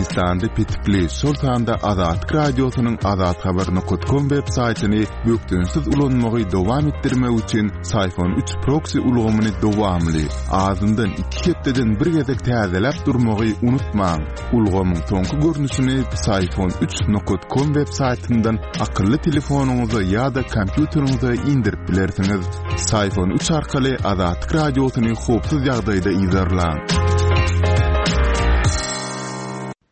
Türkmenistanda petikli, şol sanda Azatlyk Radiosynyň azathabar nokat kom web saýtyny bökdençsiz ulanmagy dowam etdirmek üçin Syfon üç proksi ulgamyny dowamly, azyndan iki hepdeden bir gezek täzeläp durmagy unutmaň. Ulgamyň soňky görnüşini Psiphon üç nokat kom web saýtyndan akylly telefonyňyza ýa-da kompýuteriňize indirip bilersiňiz. Psiphon üç arkaly Azatlyk Radiosyny howpsuz ýagdaýda yzarlaň.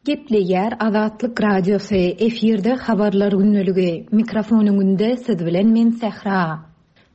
Gepleýär Azatlyk Radiosy, efirde Habarlar gündeligi. Mikrofon öňünde siz bilen men Sähra.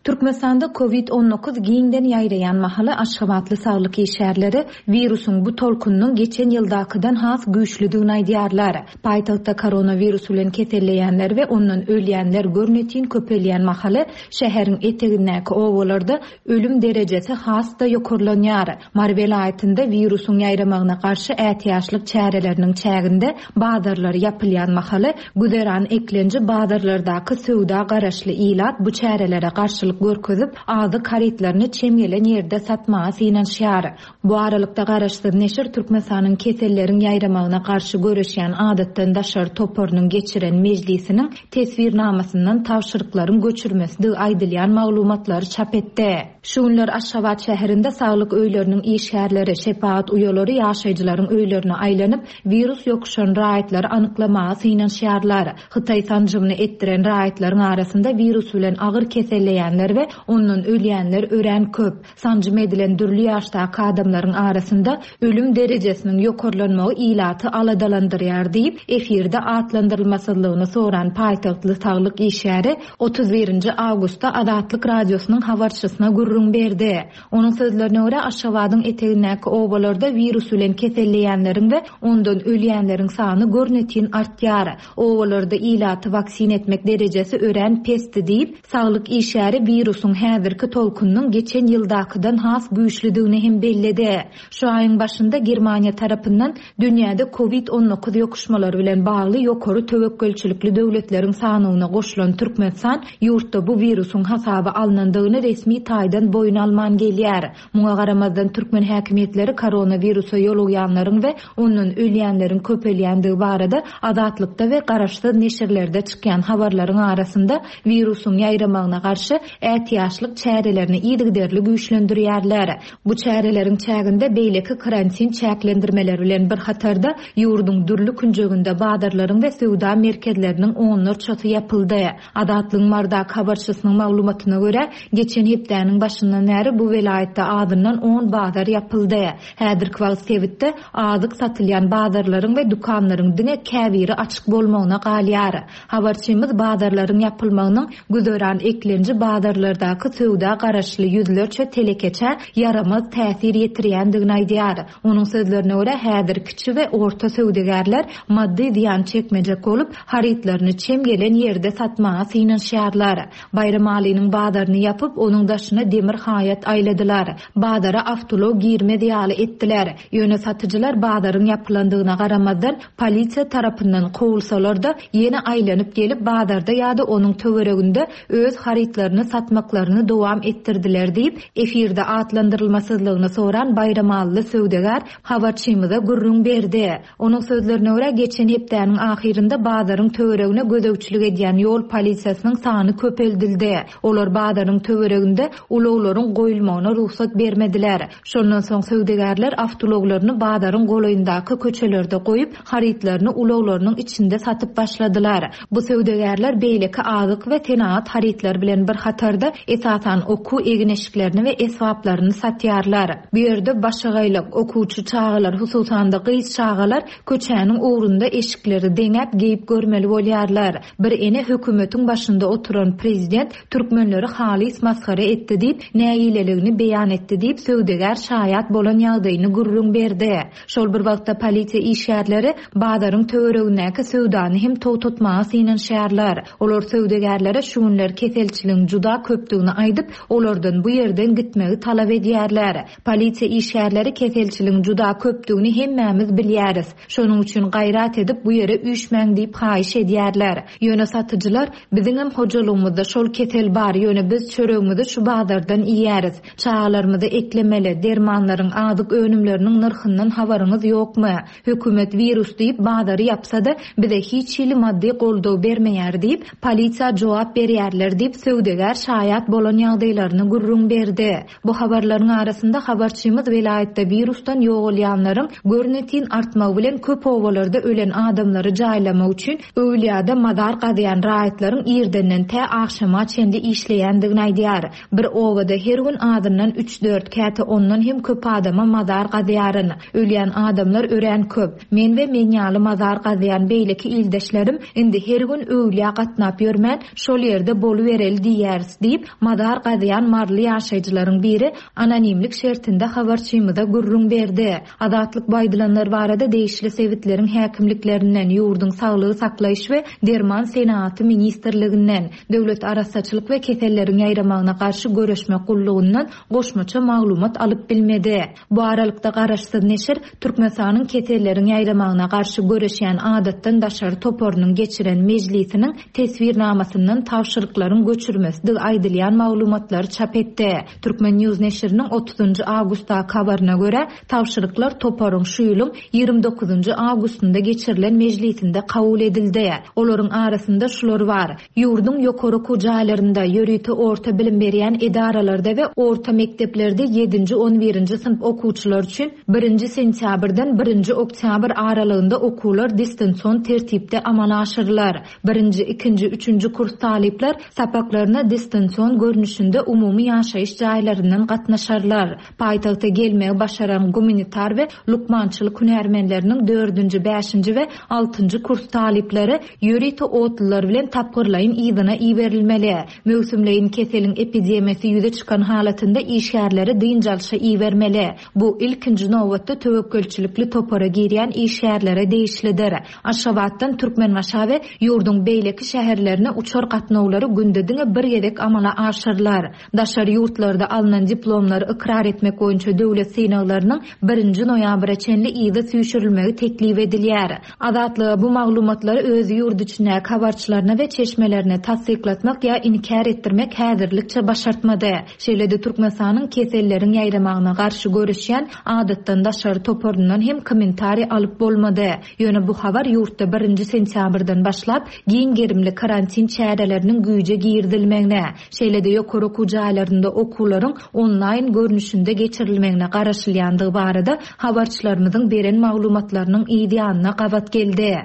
Türkmenistanda Covid 19 giňden ýaýraýan mahaly aşgabatly saglyk işgärleri wirusyň bu tolkunynyň geçen ýyldakydan has güýçlüdigini aýdýarlar. Paýtagtda koronawirus bilen keselleýänler we ondan ölýänler görnetin köpelýän mahaly şäheriň etegindäki obalarda ölüm derejesi has-da ýokarlanýar. Mary welaýatynda wirusyň ýaýramagyna garşy ätiýaçlyk çäreleriniň çäginde bazarlar ýapylýan mahaly, güzeran eklenji bazarlardaky söwda garaşly ilat bu çärelere garşylyk görkezip, azyk harytlaryny çem gelen ýerde satmaga synanyşýar. Bu aralykda, garaşsyz neşir Türkmenistanyň keselleriň ýaýramagyna garşy göreşýän adatdan daşary toparynyň geçiren mejlisiniň teswirnamasyndan tabşyryklaryň göçürmesidigi aýdylýan maglumatlary çap etdi. Şu günler Aşgabat şäherinde saglyk öýleriniň işgärleri, şepagat uýalary ýaşaýjylaryň öýlerine aýlanyp, wirus ýokuşan raýatlary anyklamaga synanyşýarlar. Hytaý sanjymyny etdiren raýatlaryň arasynda wirus bilen agyr keselleýänler we ondan ölýänler örän köp. Sanjym edilen dürli ýaşdaky adamlaryň arasynda ölüm derejesiniň ýokarlanmagy ilaty aladalandyrýar diýip, efirde atlandyrylmasyzlygyny soran paýtagtly saglyk işgäri 31 awgustda Azatlyk Radiosynyň habarçysyna gürrüň berdi. Onuň sözlerine görä, Aşgabadyň etegindäki obalarda wirus bilen keselleýänleriň we ondan ölýänleriň sany görnetin artýar. Obalarda ilaty waksina etmek derejesi örän pesdi diýip, saglyk işgäri wirusyň häzirki tolkunynyň geçen ýyldakydan has güýçlüdigini hem belledi. Şu aýyň başynda Germaniýa tarapyndan dünýäde Covid 19 ýokuşmalary bilen bagly ýokary töwekgelçilikli döwletleriň sanawyna goşulan Türkmenistan ýurtda bu wirusyň hasaba alnandygyny resmi taýdan boýun alman gelýär. Muňa garamazdan türkmen häkimiýetleri koronawirusa ýolugýanlaryň we ondan ölýänleriň köpelýändigi barada Azatlykda we garaşsyz neşirlerde çykýan habarlaryň arasynda wirusyň ýaýramagyna garşy ätiýaçlyk çärelerini yzygiderli güýçlendirýärler. Bu çäreleriň çäginde beýleki karantin çäklendirmeleri bilen bir hatarda, ýurduň dürli künjeginde bazarlaryň we söwda merkezleriniň onlarçasy ýapyldy. Azatlygyň Marydaky habarçysynyň maglumatyna görä, geçen hepdäniň başyndan bäri bu welaýatda azyndan on bazar ýapyldy. Häzirki wagt sebitde azyk satylýan bazarlaryň we dükanlaryň diňe käbiri açyk bolmagyna galýar. Habarçymyz bazarlaryň ýapylmagynyň güzeran eklenji bazarlardaky söwda garaşly ýüzlerçe telekeçä ýaramaz täsir ýetirýändigini aýdýar. Onuň sözlerine görä, häzir kiçi we orta söwdagärler maddy zyýan çekmejek bolup, harytlaryny çem gelen ýerde satmaga synanyşýarlar. Baýramalynyň bazaryny ýapyp, onuň daşyna demir haýat aýladylar. Bazara awtoulag girmez ýaly etdiler. Ýöne satyjylar bazaryň ýapylandygyna garamazdan, polisiýa tarapyndan kowulsalar-da, ýene aýlanyp gelip, bazarda ýa-da onuň töwereginde öz harytlaryny satmaklaryny dowam etdirdiler diýip, efirde atlandyrylmasyzlygyny soran baýramalyly söwdagär habarçymyza gürrüň berdi. Onuň sözlerine görä, geçen hepdäniň ahyrynda bazaryň töweregine gözegçilik edýän ýol polisiýasynyň sany köpeldildi. Olar bazaryň töwereginde ulaglaryň goýulmagyna rugsat bermediler. Şondan soň söwdagärler awtoulaglaryny bazaryň golaýyndaky köçelerde goýup, harytlaryny ulaglarynyň içinde satyp başladylar. Bu söwdagärler beýleki azyk we senagat harytlary bilen bir hatarda, esasan okuw egin-eşiklerini we esbaplaryny satýarlar. Bu ýerde başagaýlyk, okuwçy çagalar, hususan-da gyz çagalar köçäniň ugrunda eşikleri deňäp geýip görmeli bolýarlar. Bir ene hökümetiň başynda oturan prezident türkmenleri halys masgara etdi diýip, nägileligini beýan etdi diýip, söwdagär şaýat bolan ýagdaýyny gürrüň berdi. Şol bir wagtda polisiýa işgärleri bazaryň töweregindäki söwdany hem togtatmaga synanyşýarlar. Olar söwdagärlere şu günler keselçiligiň juda. juda köpdügini aýdyp, olardan bu ýerden gitmegi talap edýärler. Polisiýa işgärleri keselçiligiň juda köpdügini hemmämiz bilýäris. Şonuň üçin gaýrat edip bu ýere üýşmäň diýip haýyş edýärler. Ýöne satyjylar, Biziňem hojalygymyzda şol kesel bar, ýöne biz çöregimizi şu bazardan iýýäris. Çagalarymyzy eklemeli, dermanlaryň, azyk önümleriniň nyrhyndan habaryňyz ýokmy? Hökümet wirus diýip bazary ýapsa-da, bize hiç hili maddy goldaw bermeýär diýip, polisiýa jogap berýärler diýip, söwdagär şaýat bolan ýagdaýlaryny gürrüň berdi. Bu habarlaryň arasynda habarçymyz welaýatda wirusdan ýogalýanlaryň görnetin artmagy bilen köp obalarda ölen adamlary jaýlamak üçin öwlüýada mazar gazýan raýatlaryň irdenden tä agşama çenli işleýändigini aýdýar. Bir obada her gün azyndan üç-dört, käte ondan hem köp adama mazar gazýaryn. Ölýän adamlar örän köp. Men we men ýaly mazar gazýan beýleki ildeşlerim indi her gün öwlüýä gatnap ýörmän, şol ýerde bolubereli diýýäris diýip, mazar gazýan maryly ýaşaýjylaryň biri anonimlik şertinde habarçymyza gürrüň berdi. Azatlyk bu aýdylanlar barada degişli sebitleriň häkimliklerinden, ýurduň Saglygy saklaýyş we derman senagaty ministrliginden, Döwlet arassaçylyk we keselleriň ýaýramagyna garşy göreşmek gullugyndan goşmaça maglumat alyp bilmedi. Bu aralykda garaşsyz neşir Türkmenistanyň keselleriň ýaýramagyna garşy göreşýän adatdan daşary toparynyň geçiren mejlisiniň teswirnamasyndan tabşyryklaryň göçürmesidigi aýdylýan maglumatlary çap etdi. Turkmen. News neşiriniň otuzynjy awgustdaky habaryna görä, tabşyryklar toparyň şu ýylyň 29-njy awgustynda geçirilen mejlisinde kabul edildi. Olaryň arasynda şular bar, ýurduň ýokary okuw jaýlarynda, ýörite orta bilim berýän edaralarda we orta mekdeplerde ýedinji, on birinji synp okuwçylary üçin birinji sentýabrdan birinji oktýabr aralygynda okuwlar distansion tertipde amala aşyrylar. Birinji, ikinji, üçünji kurs talyplar sapaklaryna distansion görnüşinde umumy ýaşaýyş jaýlaryndan gatnaşarlar. Paýtagta gelmegi başaran gumanitar we lukmançylyk hünärmenleriniň dördünji, bäşinji we altynjy kurs talyplary ýörite otlular bilen tapgyrlaýyn yzyna iberilmeli. Möwsümleýin keseliň epidemiýasy ýüze çykan halatynda işgärleri dynç alşa ibermeli. Bu, ilkinji nobatda, töwekgelçilikli topara girýän işgärlere degişlidir. Aşgabatdan Türkmenbaşa we ýurduň beýleki şäherlerine uçar gatnawlary günde diňe bir gezek amala aşyrylar. Daşary ýurtlarda alnan diplomlary ykrar etmek boýunça döwlet synaglarynyň birinji noýabra çenli yza süýşürilmegi teklip edilýär. Azatlyga bu maglumatlary öz ýurt içindäki habarçylaryna we çeşmelerine tassyklatmak ýa inkär etdirmek häzirlikçe başartmady. Şeýle-de Türkmenistanyň keselleriň ýaýramagyna garşy göreşýän adatdan daşary toparyndan hem kommentariý alyp bolmady. Ýöne bu habar ýurtda birinji sentýabrdan başlap giň gerimli karantin çäreleriniň güýje girizilmegine, şeýle-de ýokary okuw jaýlarynda okuwlaryň onlaýn görnüşinde geçirilmegine garaşylýandygy barada habarçylarymyzyň beren maglumatlarynyň yz ýanyna gabat geldi.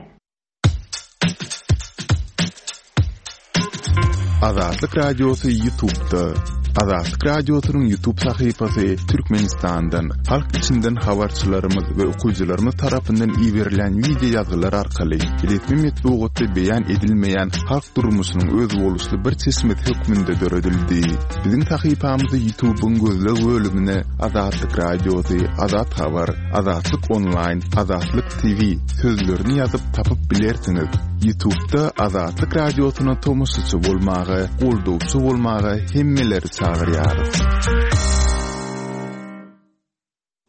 Azatlyk Radiosy Ýutubda. Azatlyk Radiosynyň Ýutub sahypasy Türkmenistandan, halk içinden habarçylarymyz we okyjylarymyz tarapyndan iberilen wideo ýazgylar arkaly resmi metbugatda beýan edilmeýän halk durmuşynyň özboluşly bir çeşmesi hökmünde döredildi. Biziň sahypamyzy Ýutubyň gözleg bölümine Azatlyk Radiosy, Azat Habar, Azatlyk Onlaýn, Azatlyk TV sözlerini ýazyp tapyp bilersiňiz. Ýutubda Azatlyk Radiosyna tomaşaçy bolmaga, goldawçy bolmaga hemmeleri çagyrýarys.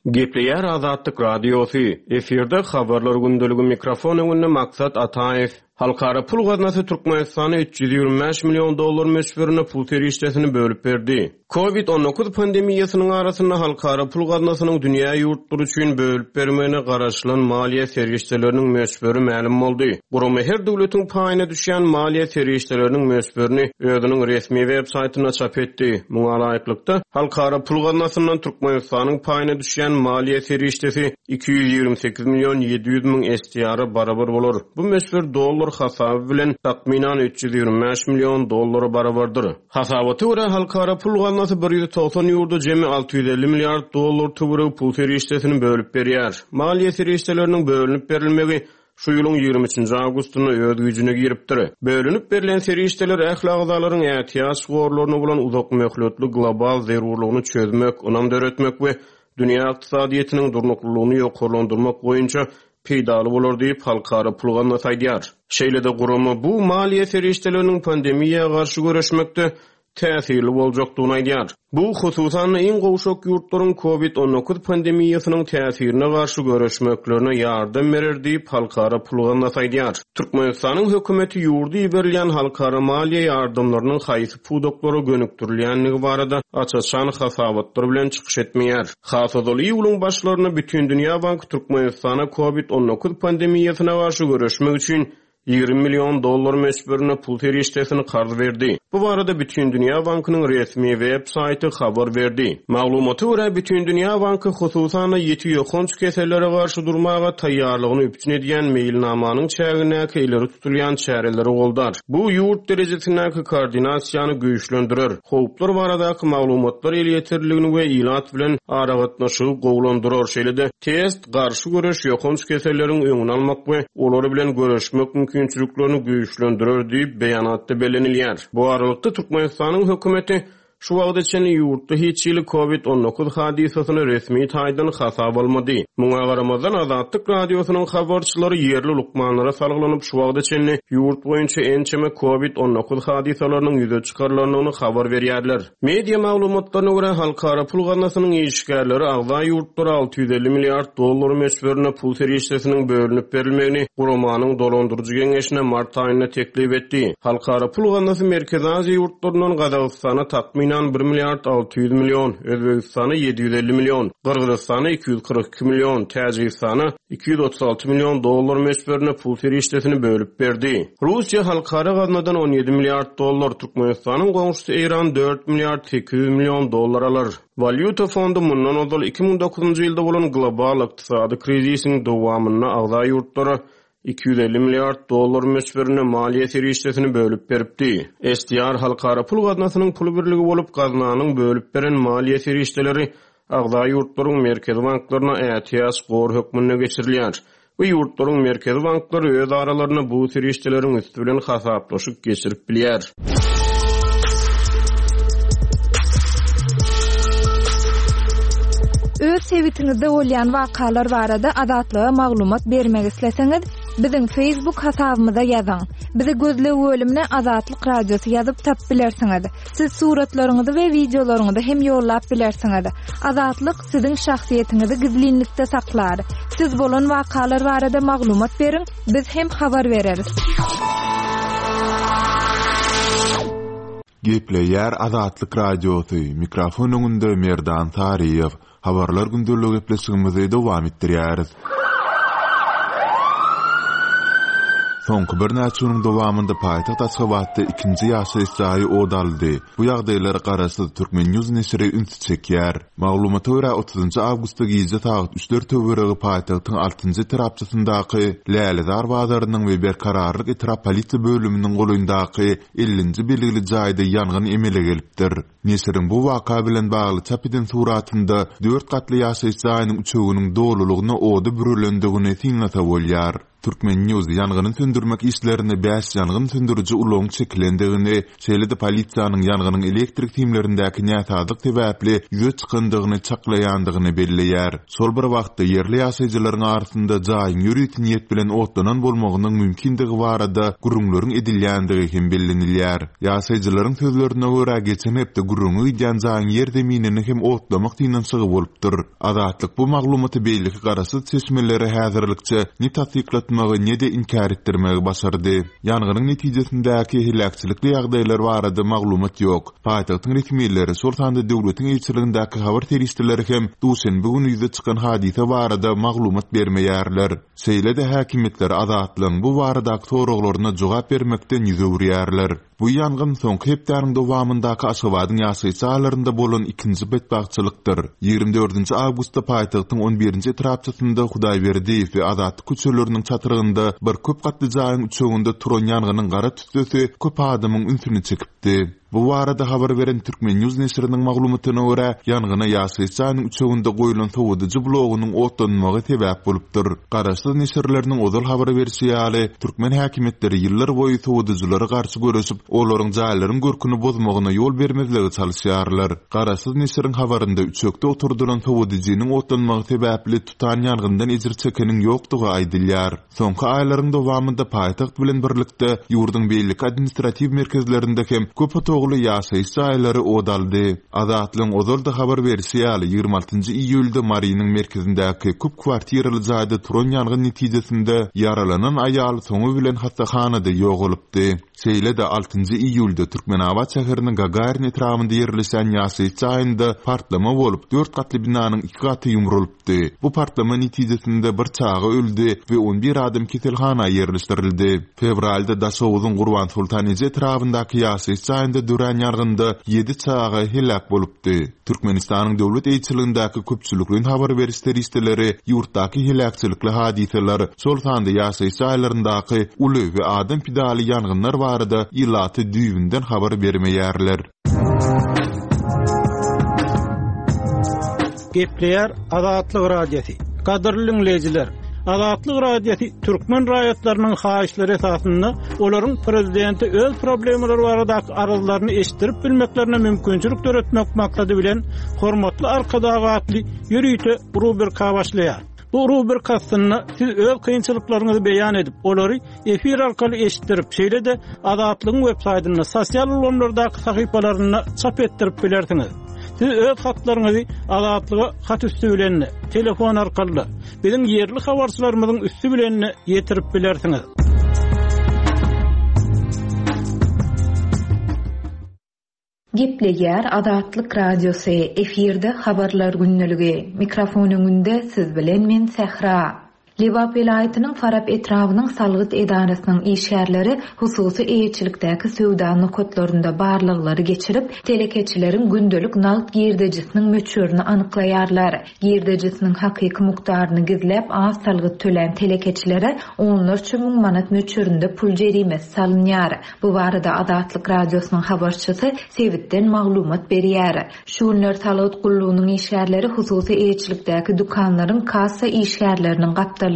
Gepleýär Azatlyk Radiosy, efirde Habarlar gündeligi mikrofon öňünde Maksat Ataýew. Halkara pul gaznasy Türkmenistana 325 million dollar möçberinde pul serişdesini bölüp berdi. Covid 19 pandemiýasynyň arasynda Halkara pul gaznasynyň dünýä ýurtlary üçin bölüp bermegine garaşylan maliýe serişdeleriniň möçberi mälim boldy. Gurama her döwletiň paýyna düşýän maliýe serişdeleriniň möçberini özüniň resmi web saýtynda çap etdi. Muňa laýyklykda, Halkara pul gaznasyndan Türkmenistanyň paýyna düşýän maliýe serişdesi 228 million 700 müň SDR-a barabar bolar. Bu möçber dollar hasaby bilen takmynan 325 million dollara barabardyr. Hasabata görä, Halkara pul gaznasy 190 ýurda jemi 650 milliard dollar töweregi pul serişdesini bölüp berýär. Maliýe serişdeleriniň bölünip berilmegi şu ýylyň 23-nji awgustynda öz güýjüne giripdir. Bölünip berlen serişdeler ähli agzalaryň ätiýaç gorlaryna bolan uzak möhletli global zerurlygyny çözmek, ynam döretmek we dünýä ykdysadyýetiniň durnuklylygyny ýokarlandyrmak boýunça peýdaly bolar diýip, Halkara pul gaznasy aýdýar. Şeýle-de gurama bu maliýe serişdeleriniň pandemiýa garşy göreşmekde. täsirli boljakdygyny aýdýar. Bu, hususan-da, iň gowşak ýurtlaryň Covid 19 pandemiýasynyň täsirine garşy göreşmeklerine ýardam berer diýip, Halkara pul gaznasy aýdýar. Türkmenistanyň hökümeti ýurda iberilýän halkara maliýe ýardamlarynyň haýsy pudaklara gönükdirilýändigi barada aç-açan hasabatlar bilen çykyş etmeýär. Has ozal iýulyň başlarynda Bütindünýä banky Türkmenistana Covid 19 pandemiýasyna garşy göreşmek üçin 20 million dollar möçberinde pul serişdesini karz berdi. Bu barada Bütindünýä bankynyň resmi web saýty habar berdi. Maglumata görä, Bütindünýä banky hususan-da ýiti ýokanç kesellere garşy durmaga taýýarlygyny üpjün edýän meýilnamanyň çägindäki ileri tutulýan çäreleri goldar. Bu ýurt derejesindäki koordinasiýany güýçlendirer, howplar baradaky maglumatlar elýeterliligini we ilat bilen aragatnaşygy gowulandyrar, şeýle-de test, garşy göreş, ýokanç keselleriň öňüni almak we olar bilen göreşmek mümkinçiliklerini güýçlendirer diýip, beýanatda bellenilýär. Bu aralykda, Türkmenistanyň hökümeti şu wagta çenli ýurtda hiç hili Covid 19 hadysasyny resmi taýdan hasaba almady. Muňa garamazdan, Azatlyk Radiosynyň habarçylary ýerli lukmanlara salgylanyp, şu wagta çenli ýurt boýunça ençeme Covid 19 hadysalarynyň ýüze çykarylandygyny habar berýärler. Media maglumatlaryna görä, Halkara pul gaznasynyň işgärleri agza ýurtlara 650 milliard dollar möçberinde pul serişdesiniň bölünip berilmegini guramanyň dolandyryjy geňeşine mart aýynda teklip etdi. Halkara pul gaznasy Merkezi Aziýa ýurtlaryndan Gazagystana takmynan bir milliard 600 million, Özbegistana 750 million, Gyrgyzystana 242 million, Täjigistana 236 million dollar möçberinde pul serişdesini bölüp berdi. Russiýa halkara gaznadan 17 milliard dollar, Türkmenistanyň goňşusy Eýran dört milliard 800 million dollar alar. Walýuta fondy mundan ozal 2009-njy ýylda bolan global ykdysady krizisiň dowamynda agza ýurtlara 250 milliard dollar möçberinde maliýe serişdesini bölüp beripdi. SDR Halkara pul gaznasynyň pul birligi bolup, gaznanyň bölüp beren maliýe serişdeleri agza ýurtlaryň merkezi banklaryna ätiýaç gor hökmünde geçirilýär we ýurtlaryň merkezi banklary öz aralarynda bu serişdeleriň üsti bilen hasaplaşyk geçirip bilýär. Öz sebitiňizde bolýan wakalar barada Azatlyga maglumat bermek isleseňiz, biziň Facebook hasabymyza ýazyň. Bizi gözleg bölümine Azatlyk Radiosy ýazyp tapyp bilersiňiz. Siz suratlaryňyzy we wideolaryňyzy hem ýollap bilersiňiz. Azatlyk siziň şahsyýetiňizi gizlinlikde saklar. Siz bolan wakalar barada maglumat beriň, biz hem habar bereris. Gepleýär Azatlyk Radiosy, mikrofon öňünde Merdan Saryýew. Habarlar gündeligi gepleşigimizi dowam etdirýäris. Soňky birnäçe günüň dowamynda paýtagt Aşgabatda ikinji ýaşaýyş jaýy ot aldy. Bu ýagdaýlara garaşsyz Turkmen. News neşiri ünsi çekýär. Maglumata görä, otuzynjy awgustda gije sagat üçler töweregi paýtagtyň altynjy etrapçasyndaky Lälezar bazarynyň we Berkararlyk etrap polisiýa bölüminiň golaýyndaky ellinji belgili jaýda ýangyn emele gelipdir. Neşiriň bu waka bilen bagly çap eden suratynda dört gatly ýaşaýyş jaýynyň üçeginiň dolulygyna oda bürelendigini synlasa bolýar. Turkmen. News ýangyny söndürmek işlerine bäş ýangyn söndüriji ulagyň çekilendigini, şeýle-de polisiýanyň ýangynyň elektrik simlerindäki näsazlyk sebäpli ýüze çykandygyny çaklaýandygyny belleýär. Şol bir wagtda, ýerli ýaşaýjylaryň arasynda jaýyň ýörite niýet bilen otlanan bolmagynyň mümkindigi barada gürrüňleriň edilýändigi hem bellenilýär. Ýaşaýjylaryň sözlerine görä, geçen hepde gürrüňi gidýän jaýyň ýerzeminini hem otlamak synanyşygy bolupdyr. Azatlyk bu maglumaty beýleki garaşsyz çeşmelere häzirlikçe ne tassyklatmagy, ne-de inkär etdirmegi başardy. Ýangynyň netijesindäki heläkçilikli ýagdaýlar barada maglumat ýok. Paýtagtyň resmileri, şol sanda döwletiň eýeçiligindäki habar serişdeleri hem duşenbe güni ýüze çykan hadysa barada maglumat bermeýärler. Şeýle-de häkimiýetler Azatlygyň bu baradaky soraglaryna jogap bermekden ýüz öwürýärler. Bu ýangyn soňky hepdäniň dowamyndaky Aşgabadyň ýaşaýyş jaýlarynda bolan ikinji betbagtçylykdyr. Ýigrimi dördünji awgustda paýtagtyň on birinji etrapçasynda Hudaýberdiýew we Azatlyk köçeleriniň çatrygynda bir köp gatly jaýyň üçeginde turan ýangynyň gara tüssesi köp adamyň ünsüni çekipdi. Bu barada habar beren Turkmen. News neşiriniň maglumatyna görä, ýangyna ýaşaýyş jaýynyň üçeginde goýlan sowadyjy blogunyň otlanmagy sebäp bolupdyr. Garaşsyz neşirleriniň ozal habar berşi ýaly, türkmen häkimiýetleri ýyllar boýy sowadyjylara garşy göreşip, olaryň jaýlaryň görküni bozmagyna ýol bermezlige çalyşýarlar. Garaşsyz neşiriň habarynda üçekde oturdylan sowadyjynyň otlanmagy sebäpli tutan ýangyndan ejir çekeniň ýokdugy aýdylýar. Soňky aýlaryň dowamynda paýtagt bilen birlikde, ýurduň beýleki administratiw merkezlerinde hem köp otagly. otagly ýaşaýyş jaýlary ot aldy. Azatlygyň ozal-da habar berşi ýaly, 26 iýulda Marynyň merkezindäki köp kwartiraly jaýda turan ýangyn netijesinde ýaralanan aýal soňy bilen hassahanada ýogalypdy. Şeýle-de, altynjy iýulda Türkmenabat şäheriniň Gagarin etrabynda ýerleşýän ýaşaýyş jaýynda partlama bolup, dört gatly binanyň iki gaty ýumrulypdy. Bu partlama netijesinde bir çaga öldi we on bir adam keselhana ýerleşdirildi. Fewralda Daşoguzyň Gurbansoltan eje etrabyndaky ýaşaýyş jaýynda dörän ýangynda ýedi çaga heläk bolupdy. Türkmenistanyň döwlet eýeçiligindäki köpçülikleýin habar beriş serişdeleri ýurtdaky heläkçilikli hadysalar, şol sanda ýaşaýyş jaýlaryndaky uly we adam pidaly ýangynlar barada ilata düýbünden habar bermeýärler. Gepleýär Azatlyk Radiosy. Gadyrly diňleýjiler! Azatlyk Radiosy türkmen raýatlarynyň haýyşlary esasynda olaryň prezidente öz problemalary baradaky arzlaryny eşitdirip bilmeklerine mümkinçilik döretmek maksady bilen Hormatly Arkadag atly ýörite rubrika başlaýar. Bu rubrika astynda siz öz kynçylyklaryňyzy beýan edip, olary efir arkaly eşitdirip, şeýle-de Azatlygyň web saýtynda, sosial ulgamlardaky sahypalarynda çap etdirip bilersiňiz. Siz öz hatlaryňyzy Azatlyga hat üsti bilen-de, telefon arkaly-da, biziň ýerli habarçylarymyzyň üsti bilen-de ýetirip bilersiňiz. Gepleýär Azatlyk Radiosy, efirde Habarlar gündeligi. Mikrofon öňünde siz bilen men Sähra. Lebap welaýatynyň Farap etrabynyň salgyt edarasynyň işgärleri hususy eýeçilikdäki söwda nokatlarynda barlaglary geçirip, telekeçileriň gündelik nagt girdejisiniň möçberini anyklaýarlar. Girdejisiniň hakyky mukdaryny gizläp az salgyt tölän telekeçilere onlarça müň manat möçberinde pul jerimesi salynýar. Bu barada Azatlyk Radiosynyň habarçysy sebitden maglumat berýär. Şu günler salgyt gullugynyň işgärleri hususy eýeçilikdäki dükanlaryň kassa işgärleriniň gapdalynda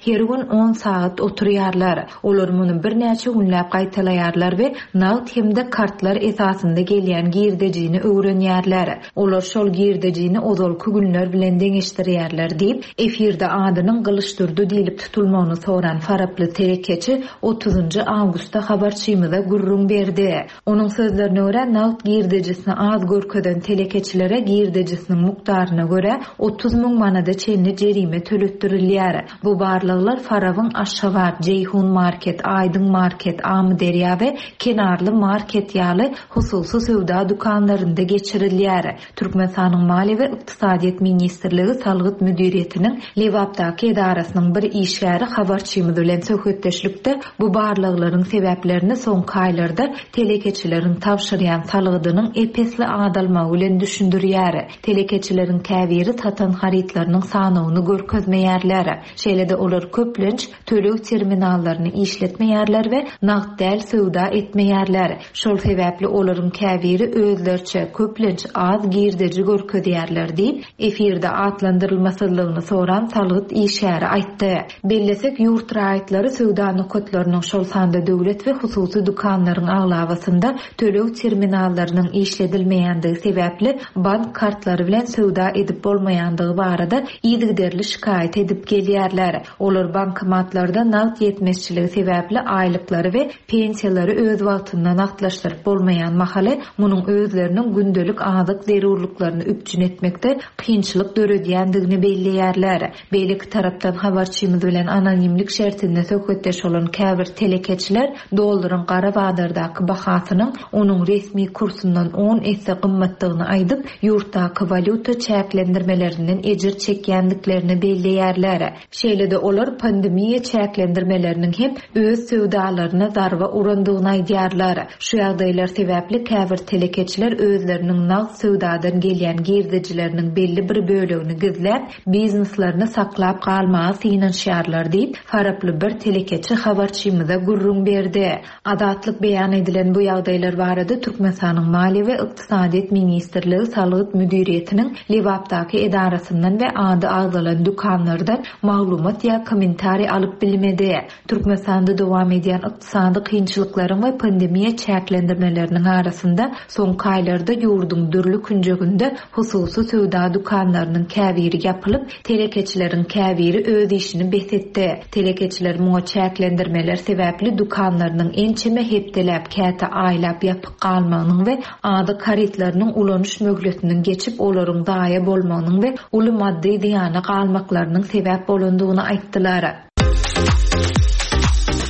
her gün on sagat oturýarlar. Olar muny birnäçe günläp gaýtalaýarlar we nagt hem-de kartlar esasynda gelýän girdejini öwrenýärler. Olar şol girdejini ozalky günler bilen deňeşdirýärler diýip, efirde adynyň Gylyçdurdy diýlip tutulmagyny soran faraply telekeçi otuzynjy awgustda habarçymyza gürrüň berdi. Onuň sözlerine görä, nagt girdejisini az görkezen telekeçilere girdejisiniň mukdaryna görä 30 müň manada çenli jerime töletdirilýär. Bu barlaglar Farabyň Aşgabat, Jeýhun market, Aýdyň market, Amyderýa we Kenarly market ýaly hususy söwda dükanlarynda geçirilýär. Türkmenistanyň Maliýe we ykdysadyýet ministrligi Salgyt müdiriýetiniň Lebapdaky edarasynyň bir işgäri habarçymyz bilen söhbetdeşlikde bu barlaglaryň sebäplerini soňky aýlarda telekeçileriň tabşyrýan salgydynyň ep-esli azalmagy bilen düşündirýär. Telekeçileriň käbiri satan harytlarynyň sanawyny görkezmeýärler. Şeýle-de olar köplenç töleg terminallaryny işletmeýärler we nagt däl söwda etmeýärler. Şol sebäpli olaryň käbiri özleriçe, köplenç az girdeji görkezýärler diýip, efirde atlandyrylmasyzlygyny soran salgyt işgäri aýtdy. Bellesek, ýurt raýatlary söwda nokatlarynyň, şol sanda döwlet we hususy dükanlaryň aglabasynda töleg terminallarynyň işledilmeýändigi sebäpli bank kartlary bilen söwda edip bolmaýandygy barada yzygiderli şikaýat edip gelýärler. Olar bankomatlarda nagt ýetmezçiligi sebäpli aýlyklary we pensiýalary öz wagtynda nagtlaşdyryp bolmaýan mahaly, munuň özleriniň gündelik azyk zerurlyklaryny üpjün etmekde kynçylyk döredýändigini belleýärler. Beýleki tarapdan, habarçymyz bilen anonimlik şertinde söhbetdeş bolan käbir telekeçiler dollaryň gara bazardaky bahasynyň onuň resmi kursundan on esse gymmatdygyny aýdyp, ýurtdaky walýuta çäklendirmelerinden ejir çekýändiklerini belleýärler. Şeýle-de olar pandemiýa çäklendirmeleriniň hem öz söwdalaryna zarba urandygyny aýdýarlar. Şu ýagdaýlar sebäpli käbir telekeçiler özleriniň nagt söwdadan gelýän girdejileriniň belli bir bölegini gizläp, bizneslerini saklap galmaga synanyşýarlar diýip, faraply bir telekeçi habarçymyza gürrüň berdi. Azatlyk beýan edilen bu ýagdaýlar barada Türkmenistanyň Maliýe we ykdysadyýet ministrligi Salgyt müdiriýetiniň Lebapdaky edarasyndan we ady agzalan dükanlardan maglumat. maglumat ýa kommentariý alyp bilmedi. Türkmenistanda dowam edýän ykdysady kynçylyklaryň we pandemiýa çäklendirmeleriniň arasynda soňky aýlarda ýurduň dürli künjeginde hususy söwda dükanlarynyň käbiri ýapylyp, telekeçileriň käbiri öz işini bes etdi. Telekeçiler muňa çäklendirmeler sebäpli dükanlarynyň ençeme hepdeläp, käte aýlap ýapyk galmagynyň we azyk harytlarynyň ulanyş möhletiniň geçip, olaryň zaýa bolmagynyň we uly maddy zyýana galmaklarynyň sebäp bolandygyny aýtdylar.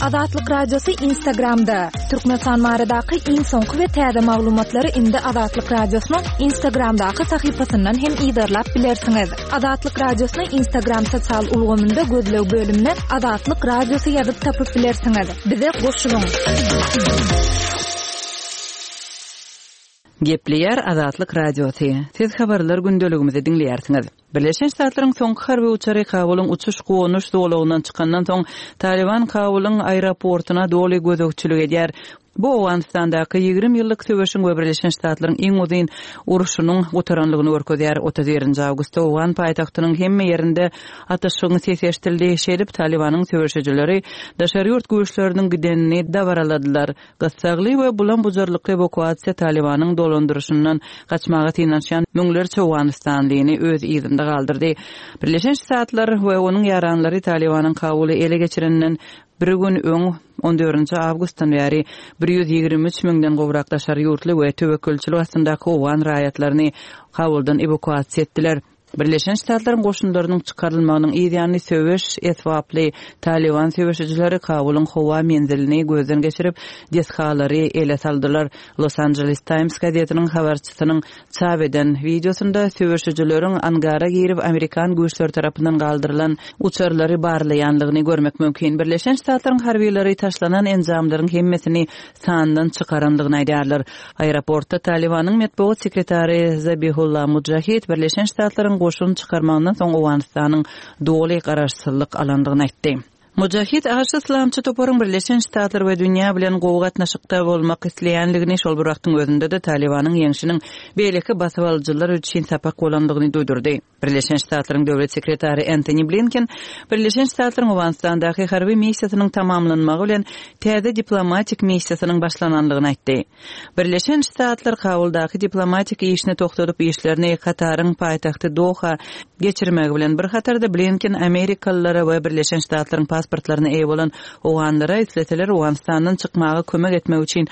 Azatlyk Radiosy Instagramda, Türkmenistan baradaky iň soňky we täze maglumatlary indi Azatlyk Radiosynyň Instagramdaky sahypasyndan hem yzarlap bilersiňiz. Azatlyk Radiosyny Instagram sosial ulgamynda gözleg bölümine Azatlyk Radiosy ýazyp tapyp bilersiňiz. Bize goşulyň! Gepleýär Azatlyk Radiosy, Siz habarlar gündeligimizi diňleýärsiňiz. Birleşen Ştatlaryň soňky harby uçary Kabulyň uçuş-gonuş zolagyndan çykandan soň, Talyban Kabulyň aeroportuna doly gözegçilik edýär. Bu Owganystandaky 20 ýyllyk söweşiň we Birleşen Ştatlaryň iň uzyn urşunyň gutaranlygyny görkezýär. 31 awgustda owgan paýtagtynyň hemme ýerinde atyşygyň sesi eşidildi. Şeýdip, Talybanyň söweşijileri daşary ýurt güýçleriniň gidenini dabaraladylar. Gyssagly we bulam-bujarlykly ewakuasiýa Talybanyň dolandyryşyndan gaçmaga synanyşýan müňlerçe owganystanlyny öz yzynda galdyrdy. Birleşen Ştatlar we onuň ýaranlary Talybanyň Kabuly ele geçireninden bir gün öň, on dördünji awgustdan bäri 123 müňden gowrak daşary ýurtly we töwekgelçilik astyndaky owgan raýatlaryny Kabuldan ewakuasiýa etdiler. Birleşen Ştatlaryň goşunlarynyň çykarylmagynyň yz ýany söweş esbaply Talyban söweşijileri Kabulyň howa menzilini gözden geçirip, desgalary ele saldylar. Los Angeles Times gazetiniň habarçysynyň çap eden wideosynda söweşijileriň angara girip, amerikan güýçleri tarapyndan galdyrylan uçarlary barlaýanlygyny görmek mümkin. Birleşen Ştatlaryň harbylary taşlanan enjamlaryň hemmesini sandan çykarandygyny aýdýarlar. Aeroportda Talybanyň metbugat sekretary Zabihulla Mujahid Birleşen Ştatlaryň goşun çykarmagyndan soň Owganystanyň doly garaşsyzlyk alandygyny aýtdy. Mujahid aşa yslamçy toparyň Birleşen Ştatlar we dünýä bilen gowy gatnaşykda bolmak isleýänligini, şol bir wagtyň özünde-de Talybanyň ýeňşiniň beýleki basybalyjylar üçin sapak bolandygyny duýdurdy. Birleşen Ştatlaryň Döwlet sekretary Entoni Blinken Birleşen Ştatlaryň Owganystandaky harby missiýasynyň tamamlanmagy bilen täze diplomatik missiýasynyň başlanandygyny aýtdy. Birleşen Ştatlar Kabuldaky diplomatik işini togtadyp işlerini Kataryň paýtagty Doha geçirmegi bilen bir hatarda Blinken amerikalylara we Birleşen Ştatlaryň pasportlaryna eýe bolan owganlara isleseler Owganystandan çykmaga kömek etmek üçin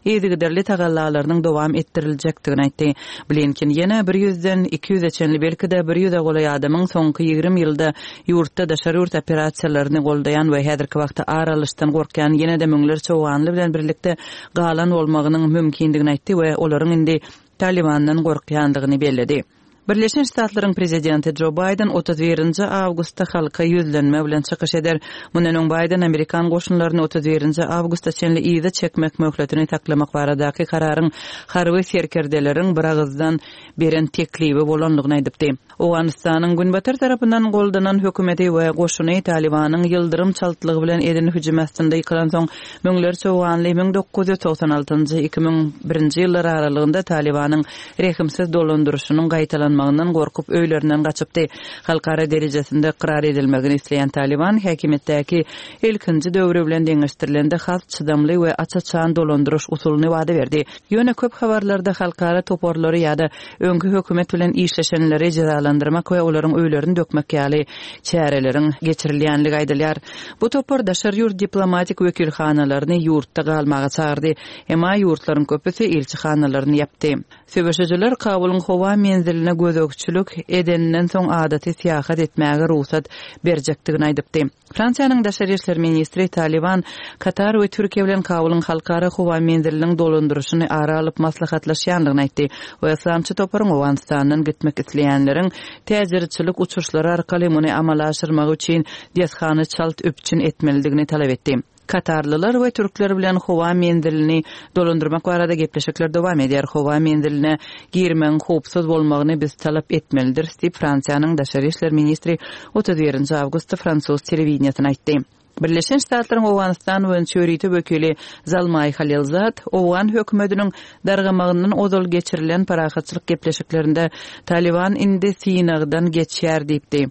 yzygiderli tagallalarynyň dowam etdiriljekdigini aýtdy. Blinken ýene bir ýüzden 200-e çenli, belki-de bir ýüze golaý adamyň soňky 20 ýylda ýurtda daşary ýurt operasiýalaryny goldaýan we häzirki wagtda ar alyşdan gorkýan ýene-de müňlerçe owganly bilen birlikde galan bolmagynyň mümkindigini aýtdy we olaryň indi Talybandan gorkýandygyny belledi. Birleşen Ştatlaryň prezidenti Jo Baýden 31-nji awgustda halka ýüzlenme bilen çykyş eder. Mundan öň Baýden amerikan goşunlaryny 31-nji awgusta çenli yza çekmek möhletini saklamak baradaky kararyň harby serkerdeleriň biragyzdan beren teklibi bolandygyny aýdypdy. Owganystanyň Günbatar tarapyndan goldanan hökümeti we goşuny Talybanyň ýyldyrym çaltlygy bilen eden hüjümi astynda ýykylansoň, müňlerçe owganly 1996-njy, 2001-nji ýyllar aralygynda Talybanyň rehimsiz dolandyryşynyň gaýtalanmagyndan gorkup öýlerinden gaçypdy. Halkara derejesinde ykrar edilmegini isleýän Talyban häkimiýetdäki ilkinji döwri bilen deňeşdirilende has çydamly we aç-açan dolandyryş usulyny wada berdi. Ýöne köp habarlarda halkara toparlary ýa-da öňki hökümet bilen işleşenleri jezalandyrmak we olaryň öýlerini dökmek ýaly çäreleriň geçirilýänligi aýdylýar. Bu topar daşary ýurt diplomatik wekilhanalaryny ýurtda galmaga çagyrdy. Emma ýurtlaryň köpüsi ilçihanalaryny ýapdy. Söweşijiler Kabulyň howa menziline gözegçilik edeninden soň adaty syýahat etmäge rugsat berjekdigini aýdypdy. Fransiýanyň daşary işler ministri Talyban Katar we Türkiýe bilen Kabulyň halkara howa menziliniň dolandyryşyny ara alyp maslahatlaşýandygyny aýtdy we yslamçy toparyň Owganystandan gitmek isleýänleriň täjirçilik uçuşlary arkaly muny amala aşyrmagy üçin desgany çalt üpjün etmelidigini talap etdi. Katarlylar we türkler bilen howa menzilini dolandyrmak barada gepleşikler dowam edýär. Howa menziline girmegiň howpsuz bolmagyny biz talap etmelidiris diýip, Fransiýanyň daşary işler ministri 31 awgustda fransuz telewideniýesine aýtdy. Birleşen Ştatlaryň Owganystan boýunça ýörite wekili Zalmaý Halilzad owgan hökümetiniň dargamagyndan ozal geçirilen parahatçylyk gepleşiklerinde Talyban indi synagdan geçýär diýipdi.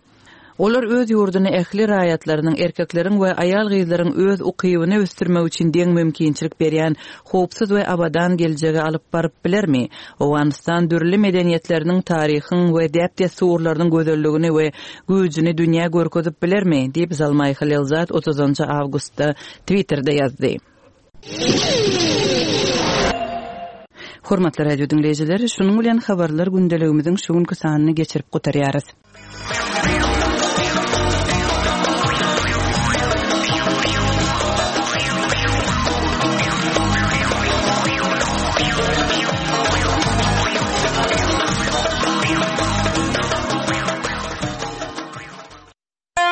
Olar öz ýurduny ähli raýatlarynyň, erkekleriň we aýal-gyzlaryň öz ukybyny ösdürmek üçin deň mümkinçilik berýän howpsuz we abadan geljege alyp baryp bilermi? Owganystan dürli medeniýetleriniň, taryhyň we däp-dessurlarynyň gözelligini we güýjüni dünýä görkezip bilermi? diýip, Zalmaý Halilzad otuzynjy awgustda Twitterde ýazdy. Hormatly radio diňleýjiler, şunuň bilen habarlar gündeligimiziň şu günki sanyny geçirip gutarýarys.